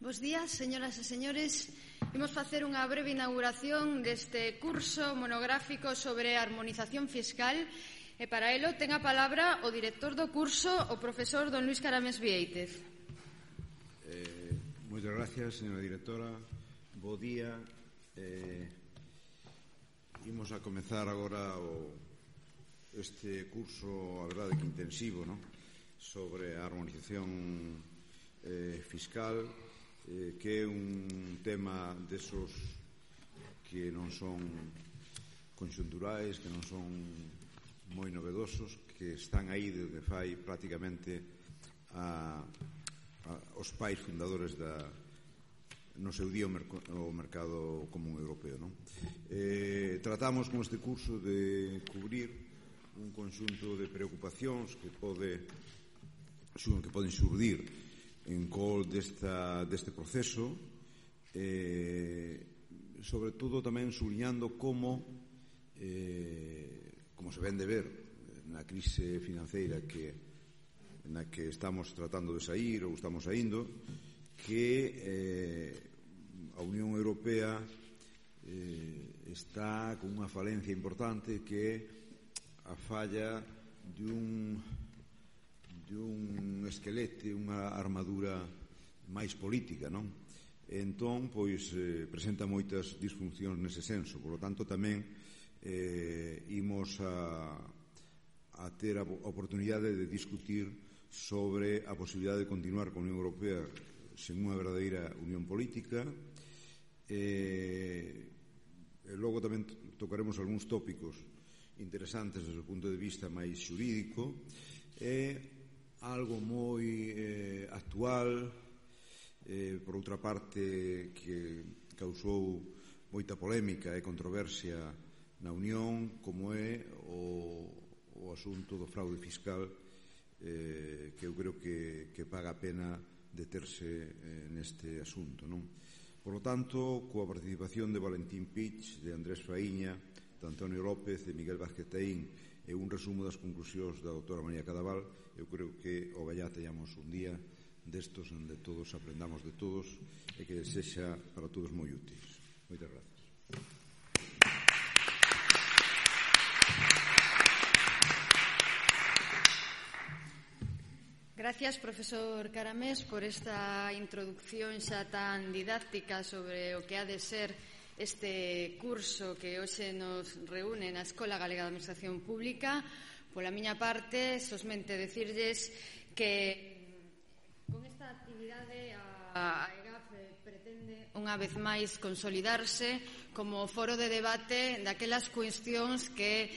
Bos días, señoras e señores. Imos facer unha breve inauguración deste curso monográfico sobre harmonización fiscal e para elo ten a palabra o director do curso, o profesor don Luís Caramés Viéitez. Moitas gracias, señora directora. Bo día. Imos a comezar agora este curso, a verdade que intensivo, sobre a harmonización fiscal, que é un tema desos que non son conxunturais, que non son moi novedosos, que están aí desde fai prácticamente os pais fundadores no seu día o mercado común europeo. Tratamos con este curso de cubrir un conxunto de preocupacións que poden xurdir en col deste proceso, sobre todo tamén subliñando como se ven de ver na crise financeira na que estamos tratando de saír ou estamos saindo, que a Unión Europea está con unha falencia importante, que é a falla dun esquelete, unha armadura máis política, non? Entón, presenta moitas disfuncións nese senso. Por lo tanto, tamén imos a ter a oportunidade de discutir sobre a posibilidade de continuar con a Unión Europea sen unha verdadeira unión política. Logo tamén tocaremos algúns tópicos interesantes desde o punto de vista máis xurídico. Algo moi actual, por outra parte, que causou moita polémica e controversia na Unión, como é o asunto do fraude fiscal, que eu creo que paga a pena deterse neste asunto, non? Por lo tanto, coa participación de Valentín Pich, de Andrés Faíña, de Antonio López, de Miguel Vázquez Taín e un resumo das conclusións da doutora María Cadaval, eu creo que ogallá teñamos un día destos onde todos aprendamos de todos e que sexa para todos moi útil. Moitas gracias. Gracias, profesor Caramés, por esta introducción xa tan didáctica sobre o que ha de ser este curso que hoxe nos reúne na Escola Galega de Administración Pública. Pola miña parte, sosmente dicirlles que con esta actividade a EGAF pretende unha vez máis consolidarse como foro de debate daquelas cuestións que,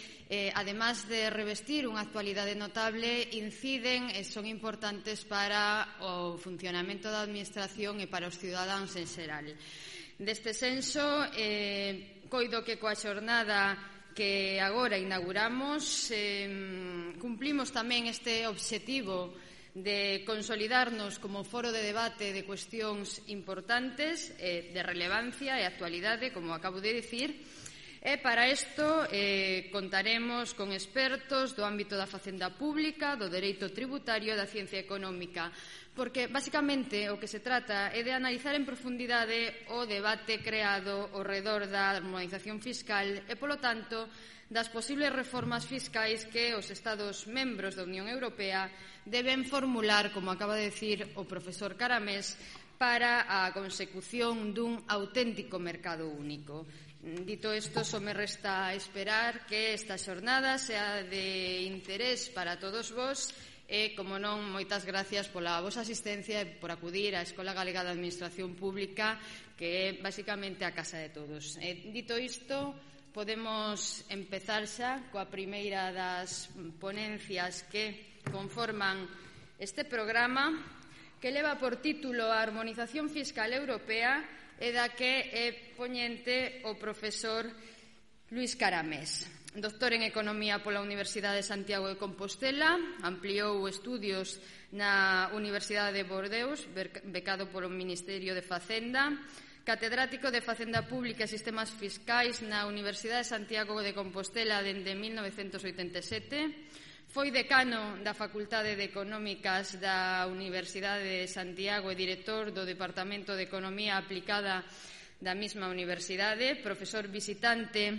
además de revestir unha actualidade notable, inciden e son importantes para o funcionamento da Administración e para os cidadáns en xeral. Deste senso, coido que coa xornada que agora inauguramos cumplimos tamén este obxectivo de consolidarnos como foro de debate de cuestións importantes, de relevancia e actualidade, como acabo de dicir. E para isto contaremos con expertos do ámbito da facenda pública, do dereito tributario e da ciencia económica, porque basicamente o que se trata é de analizar en profundidade o debate creado ao redor da harmonización fiscal e, polo tanto, das posibles reformas fiscais que os Estados membros da Unión Europea deben formular, como acaba de dicir o profesor Caramés, para a consecución dun auténtico mercado único. Dito isto, só me resta esperar que esta xornada sea de interés para todos vós e, como non, moitas gracias pola vosa asistencia e por acudir á Escola Galega de Administración Pública, que é basicamente a casa de todos. Dito isto, podemos empezar xa coa primeira das ponencias que conforman este programa, que leva por título a Harmonización Fiscal Europea e da que é poñente o profesor Luís Caramés. Doctor en Economía pola Universidade de Santiago de Compostela, ampliou estudios na Universidade de Bordeus, becado polo Ministerio de Facenda, catedrático de Facenda Pública e Sistemas Fiscais na Universidade de Santiago de Compostela dende 1987, Foi decano da Facultade de Económicas da Universidade de Santiago e director do Departamento de Economía Aplicada da mesma universidade, profesor visitante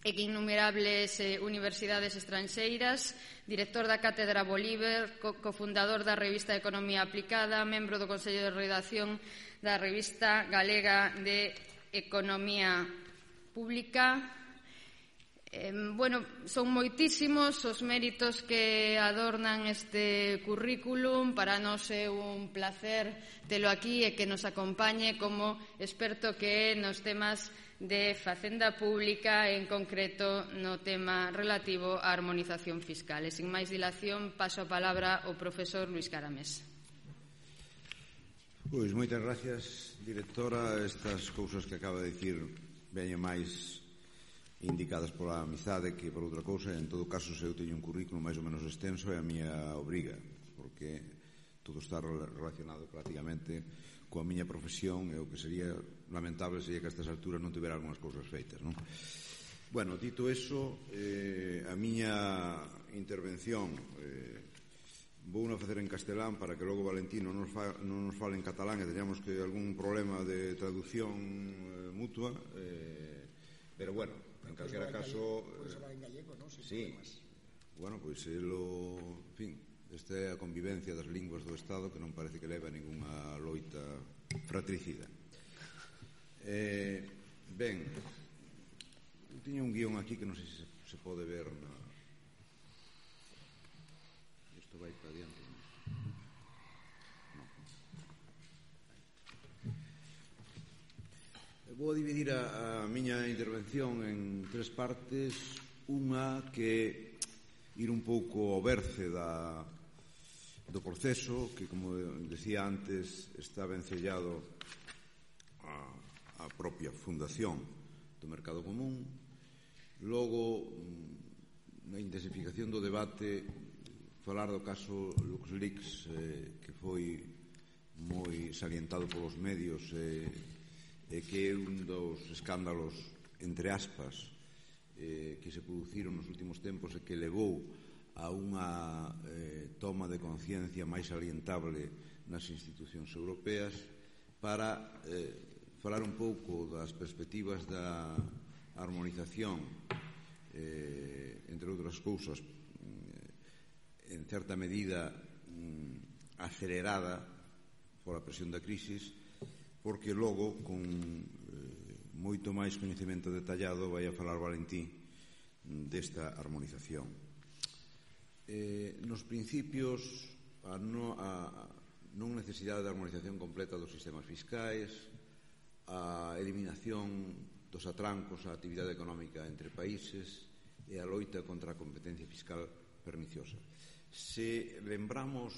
en innumerables universidades estranxeiras, director da Cátedra Bolívar, cofundador da revista Economía Aplicada, membro do Consello de Redacción da revista Galega de Economía Pública. Son moitísimos os méritos que adornan este currículum. Para nós é un placer telo aquí e que nos acompañe como experto que é nos temas de facenda pública, en concreto no tema relativo á armonización fiscal. E sin máis dilación, paso a palabra ao profesor Luís Caramés. Pois moitas gracias, directora. Estas cousas que acaba de dicir veñen máis indicadas pola amizade que por outra cousa. En todo caso, se eu teño un currículo máis ou menos extenso, é a miña obriga, porque todo está relacionado prácticamente coa miña profesión, e o que sería lamentable sería que a estas alturas non tivera algunhas cousas feitas, non? Bueno, dito eso, a miña intervención vou a facer en castelán para que logo Valentín non nos fale en catalán e teñamos que algún problema de traducción mutua, pero bueno, en calquera caso... Podes falar en gallego, non? Sí, bueno, pois en fin, esta é a convivencia das linguas do Estado, que non parece que leva a ningunha loita fratricida. Ben, tiña un guión aquí que non sei se pode ver na... Isto vai para adiante. Vou dividir a miña intervención en tres partes. Unha que ir un pouco ao berce do proceso, que, como decía antes, está vencellado a propia fundación do Mercado Común. Logo, na intensificación do debate, falar do caso LuxLeaks, que foi moi salientado polos medios e que é un dos escándalos, entre aspas, que se produciron nos últimos tempos e que levou a unha toma de conciencia máis salientable nas institucións europeas, para falar un pouco das perspectivas da armonización, entre outras cousas, en certa medida acelerada pola presión da crisis, porque logo, con moito máis coñecemento detallado, vai a falar Valentín desta armonización. Nos principios, a non necesidade de armonización completa dos sistemas fiscais, a eliminación dos atrancos á actividade económica entre países e a loita contra a competencia fiscal perniciosa. Se lembramos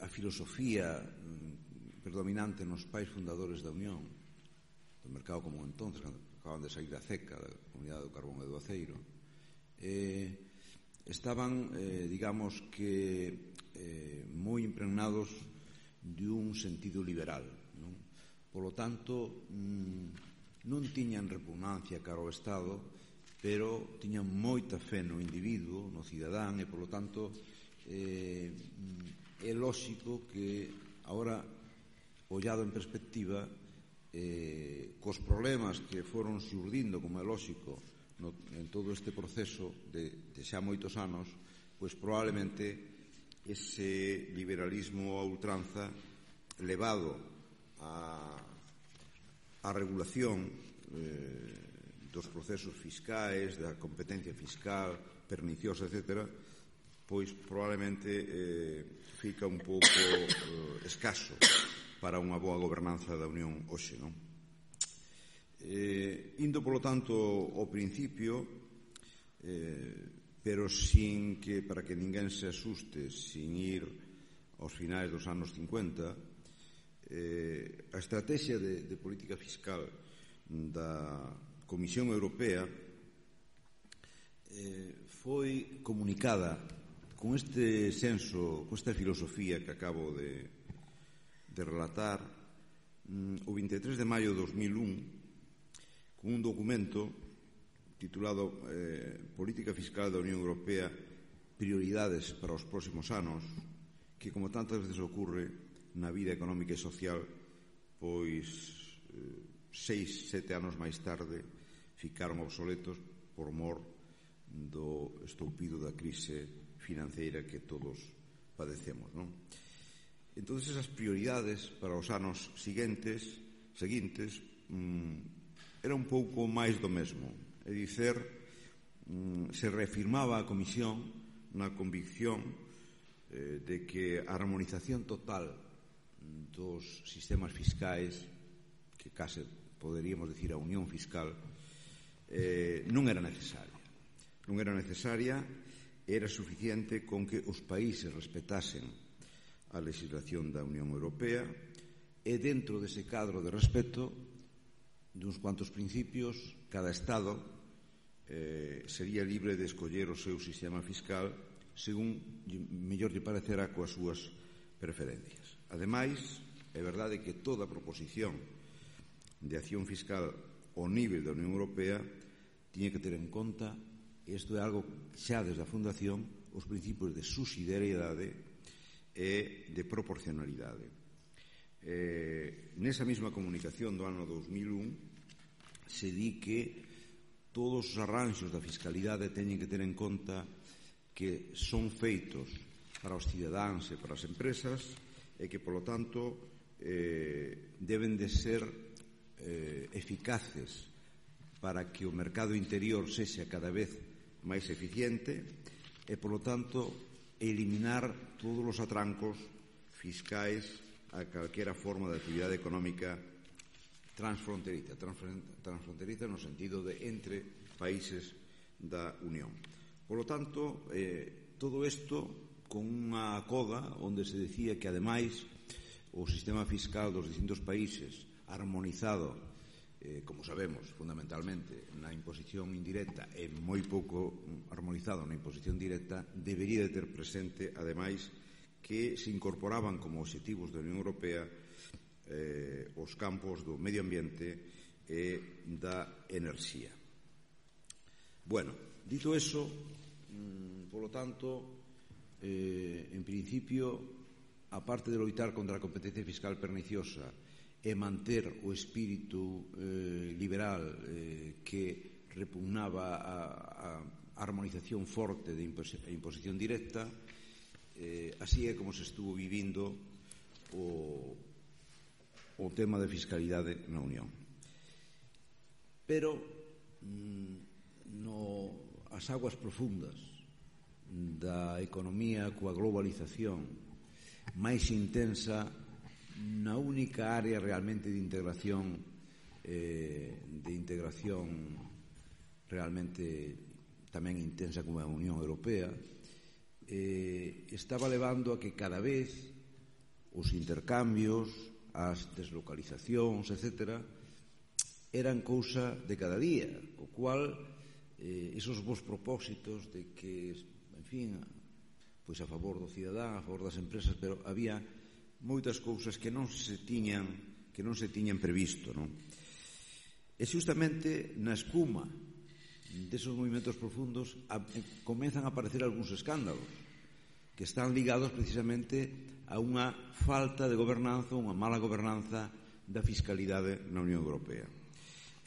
a filosofía predominante nos pais fundadores da Unión, do Mercado Común entonces, cando acaban de sair da CECA, da Comunidade do Carbón e do Aceiro, estaban, digamos que, moi impregnados de un sentido liberal, non? Polo tanto, non tiñan repugnancia cara ao Estado, pero tiñan moita fe no individuo, no cidadán, e, polo tanto, é lóxico que, agora, ollado en perspectiva, cos problemas que foron xurdindo, como é lóxico, en todo este proceso de xa moitos anos, pois probablemente ese liberalismo a ultranza levado a regulación dos procesos fiscais, da competencia fiscal perniciosa, etc., pois probablemente fica un pouco escaso para unha boa gobernanza da Unión hoxe, non? Indo, polo tanto, ao principio, pero sin que, para que ninguén se asuste, sin ir aos finais dos anos 50, a estrategia de política fiscal da Comisión Europea foi comunicada con este senso, con esta filosofía que acabo de relatar, o 23 de maio de 2001, con un documento titulado Política Fiscal da Unión Europea prioridades para os próximos anos que, como tantas veces ocorre na vida económica e social, pois 6, 7 anos máis tarde ficaron obsoletos por mor do estoupido da crise financeira que todos padecemos, non? Entón, esas prioridades para os anos seguintes era un pouco máis do mesmo. É dicer, se reafirmaba a Comisión na convicción de que a armonización total dos sistemas fiscais, que case poderíamos decir a unión fiscal, non era necesaria. Non era necesaria, era suficiente con que os países respetasen a legislación da Unión Europea e dentro dese cadro de respeto duns cuantos principios, cada Estado sería libre de escoller o seu sistema fiscal según mellor lle parecera coas súas preferencias. Ademais, é verdade que toda proposición de acción fiscal ao nivel da Unión Europea tiña que ter en conta, e isto é algo xa desde a fundación, os principios de subsidiariedade e de proporcionalidade. Nesa mesma comunicación do ano 2001 se di que todos os arranxos da fiscalidade teñen que ter en conta que son feitos para os cidadáns e para as empresas e que, polo tanto, deben de ser eficaces para que o mercado interior sexa cada vez máis eficiente e, polo tanto, eliminar todos os atrancos fiscais a calquera forma de actividade económica transfronteriza no sentido de entre países da Unión. Por lo tanto, todo isto con unha coda onde se decía que, ademais, o sistema fiscal dos distintos países armonizado, como sabemos, fundamentalmente na imposición indirecta e moi pouco armonizado na imposición directa, debería de ter presente, ademais, que se incorporaban como obxectivos da Unión Europea os campos do medio ambiente e da enerxía. Bueno, dito eso, polo tanto, en principio, aparte de loitar contra a competencia fiscal perniciosa e manter o espírito liberal que repugnaba a armonización forte de imposición directa, así é como se estuvo vivindo o tema de fiscalidade na Unión. Pero as aguas profundas da economía coa globalización máis intensa, na única área realmente de integración realmente tamén intensa como a Unión Europea, estaba levando a que cada vez os intercambios, as deslocalizacións, etc., eran cousa de cada día, o cual esos bons propósitos de que, en fin, pois a favor do cidadán, a favor das empresas, pero había moitas cousas que non se tiñan previsto, non? E justamente na escuma desos movimentos profundos comezan a aparecer algúns escándalos que están ligados precisamente a unha falta de gobernanza, unha mala gobernanza da fiscalidade na Unión Europea.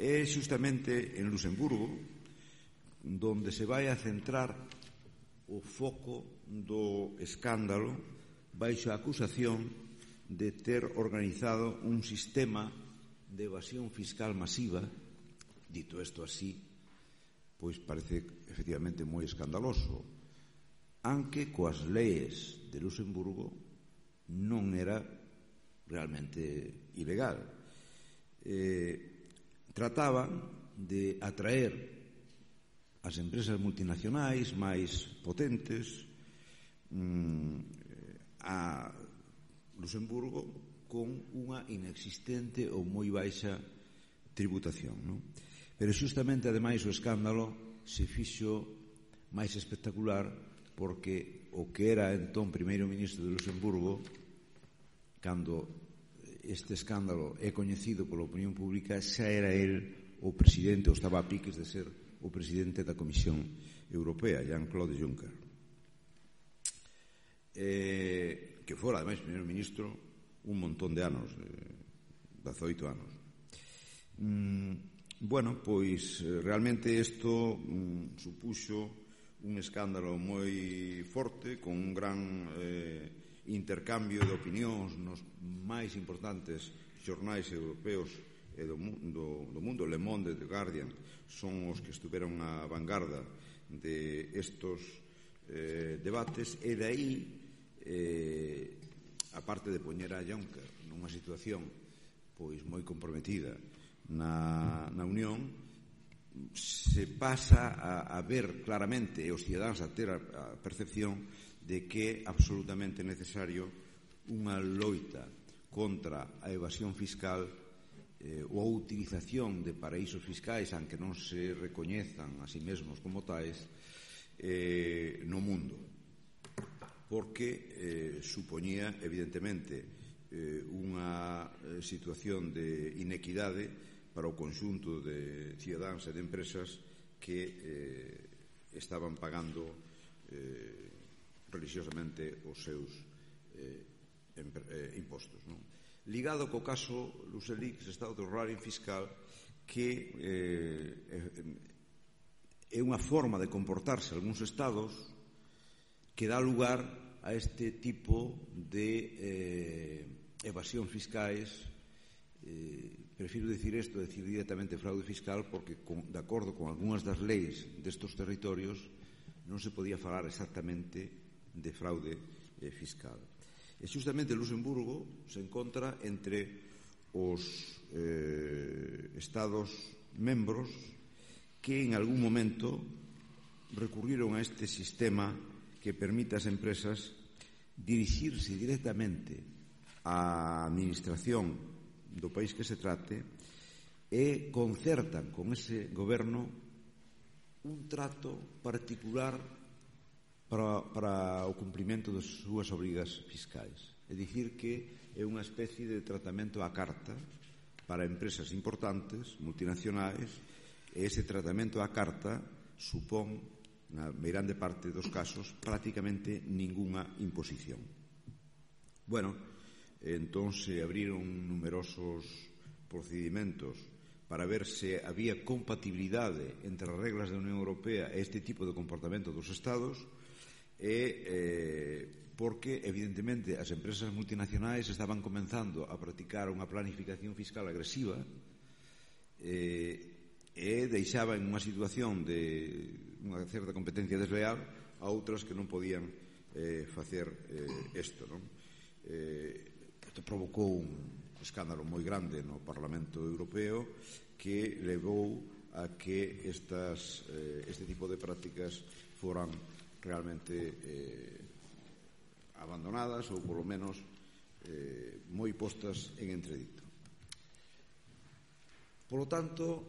É justamente en Luxemburgo donde se vai a centrar o foco do escándalo baixo a acusación de ter organizado un sistema de evasión fiscal masiva. Dito isto así, pois parece efectivamente moi escandaloso, aunque coas leis de Luxemburgo non era realmente ilegal. Trataban de atraer as empresas multinacionais máis potentes a Luxemburgo con unha inexistente ou moi baixa tributación, non? Pero justamente, ademais, o escándalo se fixo máis espectacular porque o que era entón primeiro ministro de Luxemburgo, cando este escándalo é coñecido pola opinión pública, xa era el o presidente, ou estaba a piques de ser o presidente da Comisión Europea, Jean-Claude Juncker. que fora, ademais, primeiro ministro un montón de anos, 18 anos. Bueno, pois realmente isto supuxo un escándalo moi forte, con un gran intercambio de opinións nos máis importantes xornais europeos e do mundo. Le Monde e The Guardian son os que estuveron a vanguarda de estos debates, e de aí, aparte de poñer a Juncker nunha situación pois moi comprometida na Unión, se pasa a ver claramente, e os cidadáns a ter a percepción de que é absolutamente necesario unha loita contra a evasión fiscal ou a utilización de paraísos fiscais, aunque non se recoñezan a si mesmos como tais, no mundo, porque supoñía evidentemente unha situación de inequidade para o conxunto de cidadáns e de empresas que estaban pagando religiosamente os seus impostos, non? Ligado co caso LuxLeaks está o terrorismo fiscal, que é unha forma de comportarse algúns estados que dá lugar a este tipo de evasión fiscais. Prefiro decir directamente fraude fiscal, porque de acordo con algunhas das leis destes territorios non se podía falar exactamente de fraude fiscal. E justamente Luxemburgo se encontra entre os estados membros que en algún momento recurriron a este sistema que permite ás empresas dirixirse directamente á administración do país que se trate e concertan con ese goberno un trato particular para o cumprimento das súas obrigas fiscais. É dicir, que é unha especie de tratamento á carta para empresas importantes, multinacionais, e ese tratamento á carta supón, na grande parte dos casos, prácticamente ningunha imposición. Bueno, entón se abriron numerosos procedimentos para ver se había compatibilidade entre as reglas da Unión Europea e este tipo de comportamento dos Estados, porque evidentemente as empresas multinacionais estaban comenzando a practicar unha planificación fiscal agresiva e deixaba en unha situación de unha certa competencia desleal a outras que non podían facer isto, non? Isto provocou un escándalo moi grande no Parlamento Europeo, que levou a que este tipo de prácticas foran realmente abandonadas, ou polo menos moi postas en entredito. Polo tanto,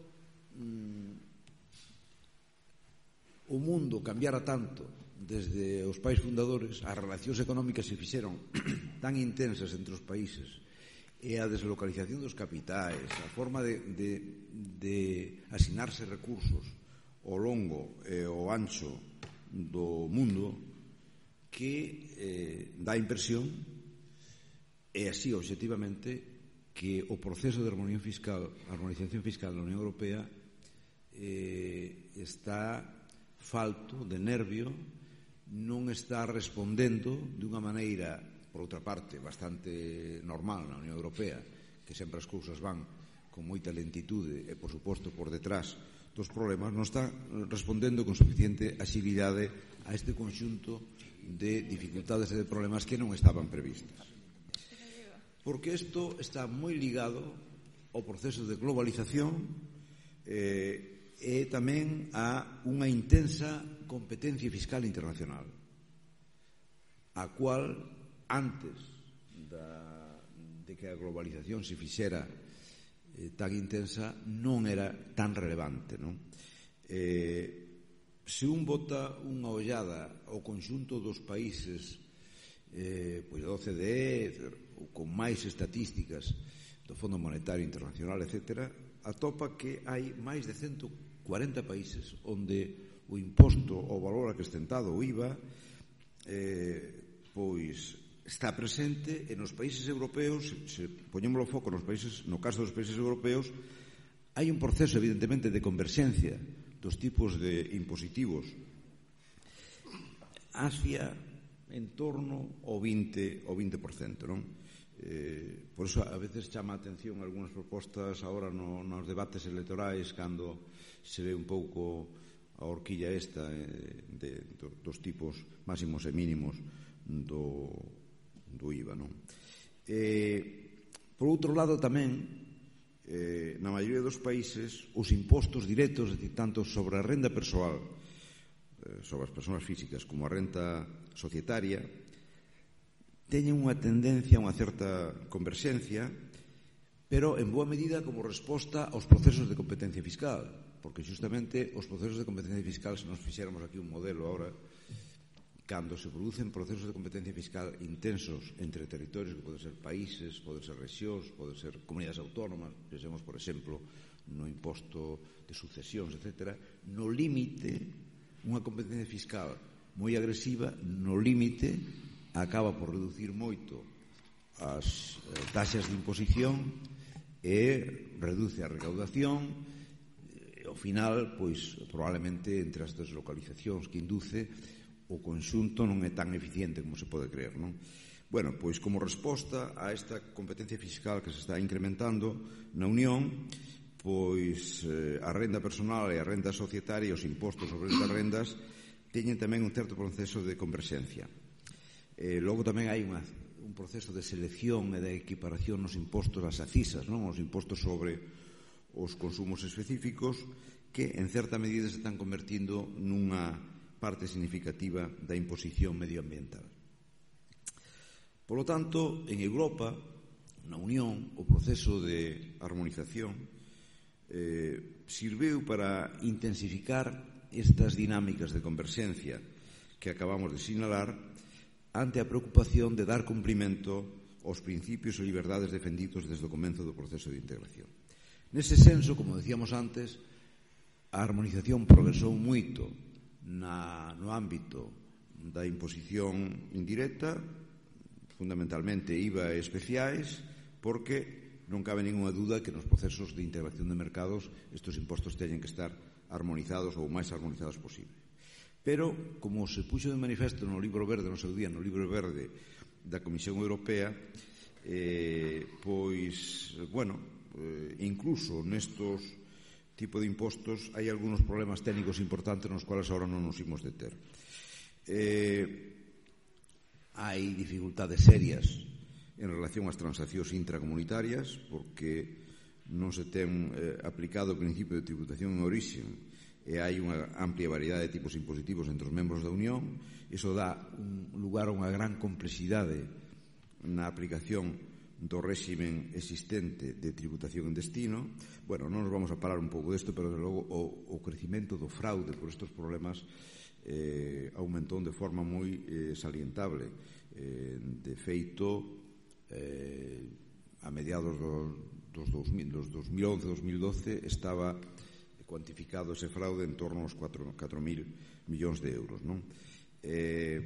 o mundo cambiara tanto desde os pais fundadores, as relacións económicas se fixeron tan intensas entre os países, e a deslocalización dos capitais, a forma de asinarse recursos ao longo e ao ancho do mundo, que dá a impresión, e así obxectivamente, que o proceso de armonización fiscal na Unión Europea está falto de nervio, non está respondendo dunha maneira, por outra parte, bastante normal na Unión Europea, que sempre as cousas van con moita lentitude e, por suposto, por detrás dos problemas, non está respondendo con suficiente axilidade a este conxunto de dificultades e de problemas que non estaban previstas. Porque isto está moi ligado ao proceso de globalización e tamén a unha intensa competencia fiscal internacional, a cual, antes de que a globalización se fixera tan intensa, non era tan relevante, non? Se un bota unha ollada ao conxunto dos países pois da OCDE, ou con máis estatísticas do Fondo Monetario Internacional, etc., atopa que hai máis de 140 países onde o imposto ao valor acrescentado, o IVA, pois está presente e nos países europeos, se poñemos o foco no caso dos países europeos, hai un proceso evidentemente de converxencia dos tipos de impositivos hacia en torno ao 20%, non? Por iso a veces chama a atención algunhas propostas agora nos debates electorais cando se ve un pouco a horquilla esta dos tipos máximos e mínimos do IVA, non? Por outro lado tamén na maioría dos países os impostos directos, tanto sobre a renda persoal, sobre as persoas físicas, como a renta societaria, teñen unha tendencia a unha certa converxencia, pero en boa medida como resposta aos procesos de competencia fiscal, porque justamente os procesos de competencia fiscal, se nos fixéramos aquí un modelo ahora, cando se producen procesos de competencia fiscal intensos entre territorios, que poden ser países, poden ser rexións, poden ser comunidades autónomas, pensemos, por exemplo, no imposto de sucesións, etc., no límite, unha competencia fiscal moi agresiva, no límite, acaba por reducir moito as taxas de imposición e reduce a recaudación e, ao final, pois, probablemente, entre as deslocalizacións que induce, o conxunto non é tan eficiente como se pode creer, non? Bueno, pois como resposta a esta competencia fiscal que se está incrementando na Unión, pois a renda personal e a renda societaria e os impostos sobre estas rendas teñen tamén un certo proceso de converxencia. Logo tamén hai un proceso de selección e de equiparación nos impostos ás acisas, non? Os impostos sobre os consumos específicos que en certa medida se están convertindo nunha parte significativa da imposición medioambiental. Por lo tanto, en Europa, na Unión, o proceso de armonización sirveu para intensificar estas dinámicas de converxencia que acabamos de sinalar ante a preocupación de dar cumprimento aos principios e liberdades defendidos desde o comezo do proceso de integración. Nese senso, como decíamos antes, a armonización progresou moito no ámbito da imposición indirecta, fundamentalmente IVA e especiais, porque non cabe ninguna duda que nos procesos de integración de mercados estes impostos teñen que estar armonizados ou máis armonizados posible. Pero, como se puxo de manifesto no libro verde, no seu día, no libro verde da Comisión Europea, incluso nestos tipo de impostos hai algúns problemas técnicos importantes nos cuales agora non nos imos deter. Hai dificultades serias en relación ás transaccións intracomunitarias porque non se ten aplicado o principio de tributación en orixe e hai unha amplia variedade de tipos impositivos entre os membros da Unión. Iso dá lugar a unha gran complexidade na aplicación do réximen existente de tributación en destino. Bueno, non nos vamos a parar un pouco desto, pero desde logo o crecimento do fraude por estes problemas aumentou de forma moi salientable. De feito, a mediados dos 2011-2012 estaba cuantificado ese fraude en torno aos 4.000 millóns de euros, non? De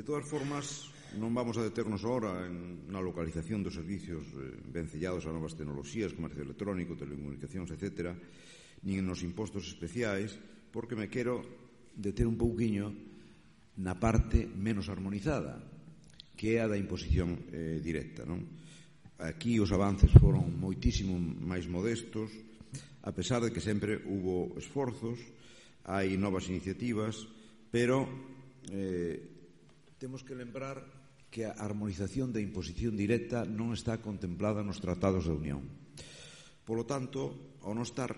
todas formas, non vamos a deternos agora na localización dos servicios vencellados a novas tecnoloxías, comercio electrónico, telecomunicacións, etc., nin nos impostos especiais, porque me quero deter un pouquiño na parte menos armonizada, que é a da imposición directa, non? Aquí os avances foron moitísimo máis modestos, a pesar de que sempre hubo esforzos, hai novas iniciativas, pero temos que lembrar que a armonización da imposición directa non está contemplada nos tratados da Unión. Por lo tanto, ao non estar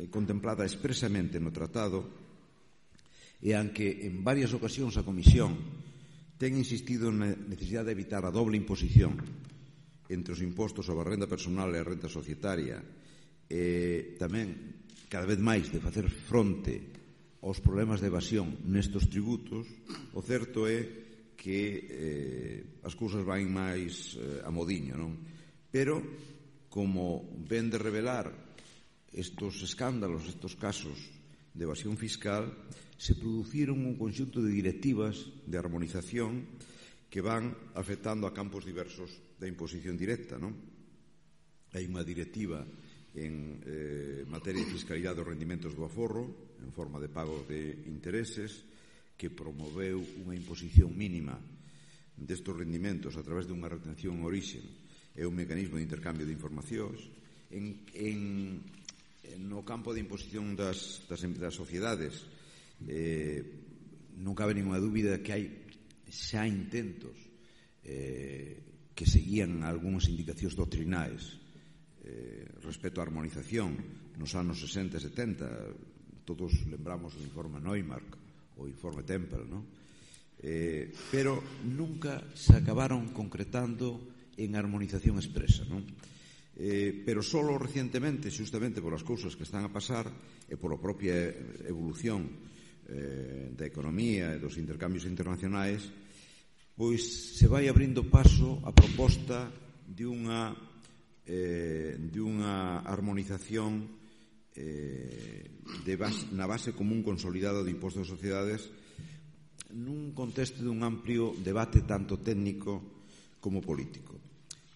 contemplada expresamente no tratado, e aunque en varias ocasións a Comisión ten insistido na necesidade de evitar a doble imposición entre os impostos sobre a renda personal e a renda societaria, e tamén cada vez máis de facer fronte aos problemas de evasión nestes tributos, o certo é que as cousas van máis a modiño, non? Pero, como ven de revelar estes escándalos, estes casos de evasión fiscal, se produciron un conxunto de directivas de armonización que van afectando a campos diversos da imposición directa, non? Hai unha directiva en materia de fiscalidade dos rendimentos do aforro, en forma de pago de intereses, que promoveu unha imposición mínima destes rendimentos a través dunha retención en orixe e un mecanismo de intercambio de informacións. No campo de imposición das sociedades, non cabe ninguna dúbida que hai xa intentos que seguían algunhas indicacións doctrinais respecto á armonización nos anos 60 e 70. Todos lembramos o informe Neumark, o informe Tempel, non? Pero nunca se acabaron concretando en armonización expresa, non? Pero solo recientemente, justamente por as cousas que están a pasar e pola propia evolución da economía e dos intercambios internacionais, pois se vai abrindo paso a proposta de unha armonización na base común consolidada de impostos de sociedades nun contexto dun amplio debate tanto técnico como político.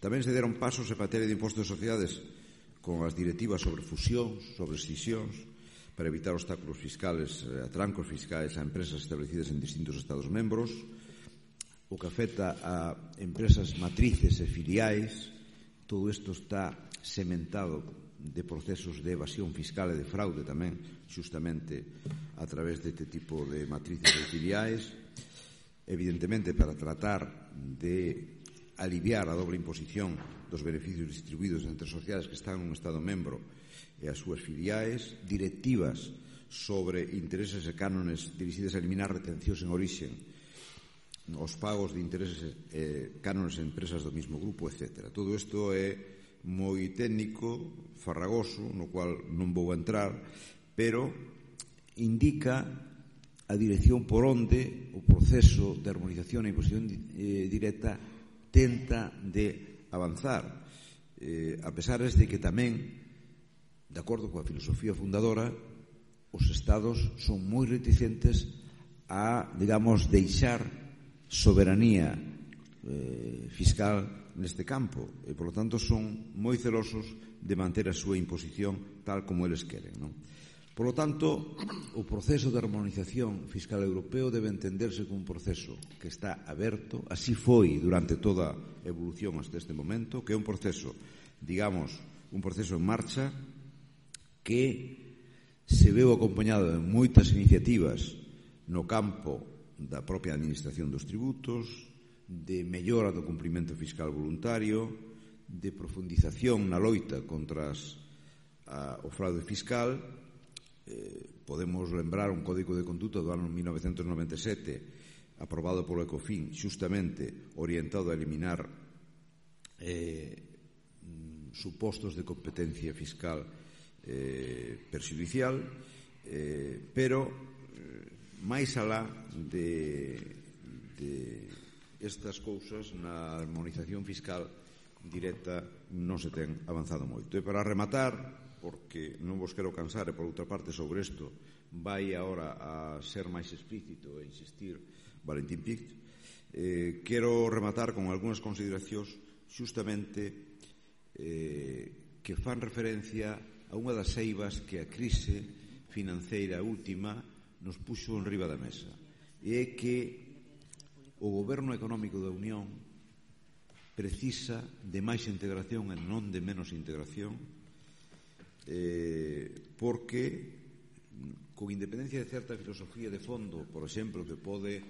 Tamén se deron pasos en materia de impostos de sociedades con as directivas sobre fusións, sobre escisións, para evitar obstáculos fiscales, atrancos fiscais a empresas establecidas en distintos Estados membros, o que afecta a empresas matrices e filiais. Todo isto está sementado de procesos de evasión fiscal e de fraude tamén, justamente a través deste tipo de matrices e filiais. Evidentemente, para tratar de aliviar a doble imposición dos beneficios distribuídos entre sociedades que están nun Estado membro e as súas filiais, directivas sobre intereses e cánones dirixidas a eliminar retencións en orixen, os pagos de intereses e cánones en empresas do mismo grupo, etc. Todo isto é moi técnico, farragoso, no cual non vou entrar, pero indica a dirección por onde o proceso de armonización e imposición directa tenta de avanzar, a pesar de que tamén, de acordo coa filosofía fundadora, os Estados son moi reticentes a, digamos, deixar soberanía fiscal neste campo e, polo tanto, son moi celosos de manter a súa imposición tal como eles queren, non? Polo tanto, o proceso de armonización fiscal europeo debe entenderse como un proceso que está aberto, así foi durante toda a evolución hasta este momento, que é un proceso, digamos, un proceso en marcha que se veu acompañado de moitas iniciativas no campo da propia administración dos tributos, de mellora do cumprimento fiscal voluntario, de profundización na loita contra o fraude fiscal. Podemos lembrar un código de conduta do ano 1997 aprobado polo Ecofin, justamente orientado a eliminar supostos de competencia fiscal perxudicial, pero máis alá de estas cousas, na armonización fiscal directa non se ten avanzado moito. E para rematar, porque non vos quero cansar, e por outra parte sobre isto vai agora a ser máis explícito e insistir Valentín Pich, quero rematar con algunhas consideracións justamente que fan referencia a unha das eivas que a crise financeira última nos puxo en riba da mesa, e é que o goberno económico da Unión precisa de máis integración e non de menos integración, porque con independencia de certa filosofía de fondo, por exemplo, que pode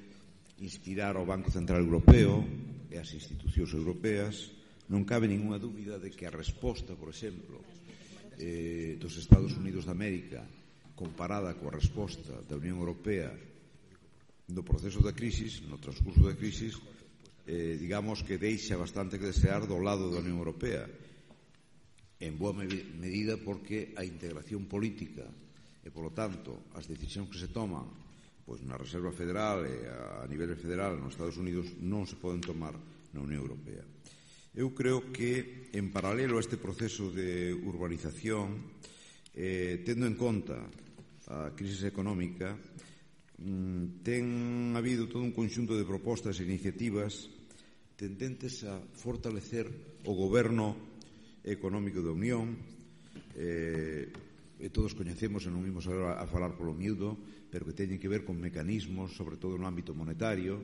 inspirar ao Banco Central Europeo e as institucións europeas, non cabe ninguna dúbida de que a resposta, por exemplo, dos Estados Unidos de América comparada coa resposta da Unión Europea no proceso da crisis, no transcurso da crisis, digamos que deixa bastante que desear do lado da Unión Europea, en boa medida porque a integración política e, polo tanto, as decisións que se toman pois na Reserva Federal e a nivel federal nos Estados Unidos non se poden tomar na Unión Europea. Eu creo que, en paralelo a este proceso de urbanización, tendo en conta a crise económica, ten habido todo un conxunto de propostas e iniciativas tendentes a fortalecer o goberno económico da Unión. Todos coñecemos, e non imos agora a falar polo miúdo, pero que teñen que ver con mecanismos, sobre todo no ámbito monetario,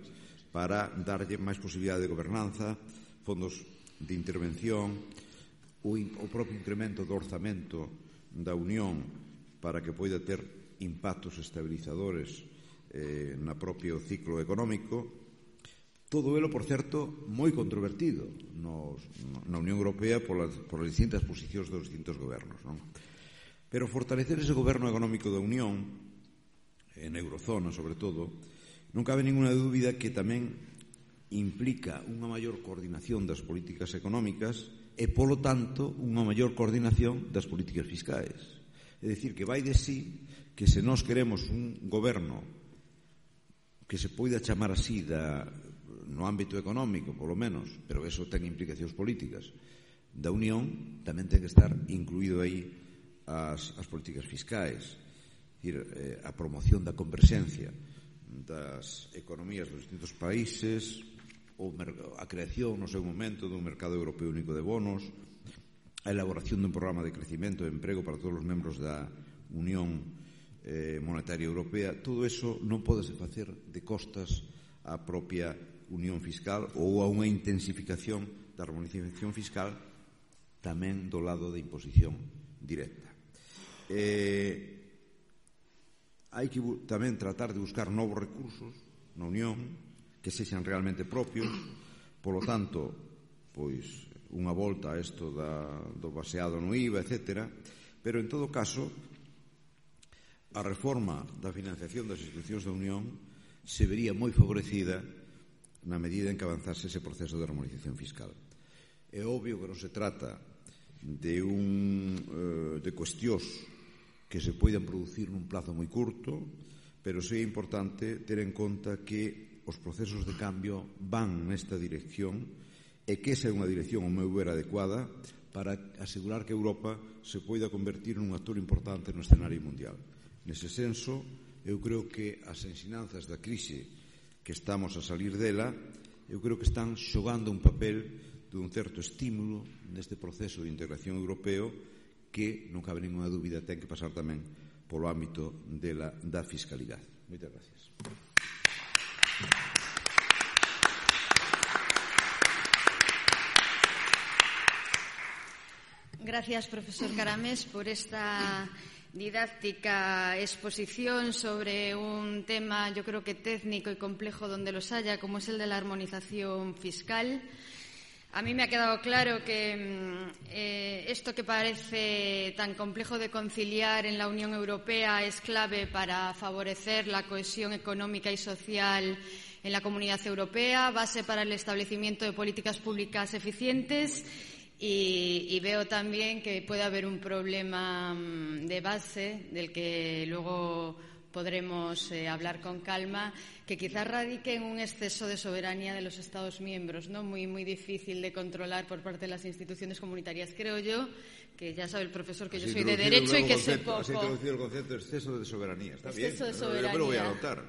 para darlle máis posibilidade de gobernanza, fondos de intervención, o propio incremento do orzamento da Unión para que poida ter impactos estabilizadores na propio ciclo económico. Todo elo, por certo, moi controvertido na Unión Europea polas distintas posicións dos distintos gobernos, non? Pero fortalecer ese goberno económico da Unión, en eurozona sobre todo, non cabe ninguna dúbida que tamén implica unha maior coordinación das políticas económicas e, polo tanto, unha maior coordinación das políticas fiscais. É dicir, que vai de sí que se nós queremos un goberno que se poida chamar así no ámbito económico, polo menos, pero eso ten implicacións políticas, da Unión, tamén ten que estar incluído aí as políticas fiscais, a promoción da converxencia das economías dos distintos países, a creación no seu momento dun mercado europeo único de bonos, a elaboración dun programa de crecimento e emprego para todos os membros da Unión Monetaria Europea. Todo eso non pode facer de costas á propia unión fiscal ou a unha intensificación da armonización fiscal tamén do lado da imposición directa. Hai que tamén tratar de buscar novos recursos na Unión que sexan realmente propios, polo tanto, pois unha volta a isto do baseado no IVA, etc. Pero, en todo caso, a reforma da financiación das institucións da Unión se vería moi favorecida na medida en que avanzase ese proceso de armonización fiscal. É obvio que non se trata de cuestións que se poidan producir nun plazo moi curto, pero sí é importante ter en conta que os procesos de cambio van nesta dirección e que esa é unha dirección, ao meu ver, adecuada para asegurar que Europa se poida convertir nun actor importante no escenario mundial. Nese senso, eu creo que as ensinanzas da crise que estamos a salir dela, eu creo que están xogando un papel dun certo estímulo neste proceso de integración europeo que, non cabe ninguna dúbida, ten que pasar tamén polo ámbito da fiscalidade. Moitas gracias. Gracias, profesor Caramés, por esta didáctica exposición sobre un tema, yo creo que técnico y complejo donde los haya, como es el de la armonización fiscal. A mí me ha quedado claro que esto que parece tan complejo de conciliar en la Unión Europea es clave para favorecer la cohesión económica y social en la Comunidad Europea, base para el establecimiento de políticas públicas eficientes. Y veo también que puede haber un problema de base del que luego podremos hablar con calma, que quizás radique en un exceso de soberanía de los Estados miembros, ¿no? Muy difícil de controlar por parte de las instituciones comunitarias. Creo yo que ya sabe el profesor que yo soy de Derecho y que sé poco. Has introducido el concepto de exceso de soberanía. Está bien, de soberanía. Yo me lo voy a anotar.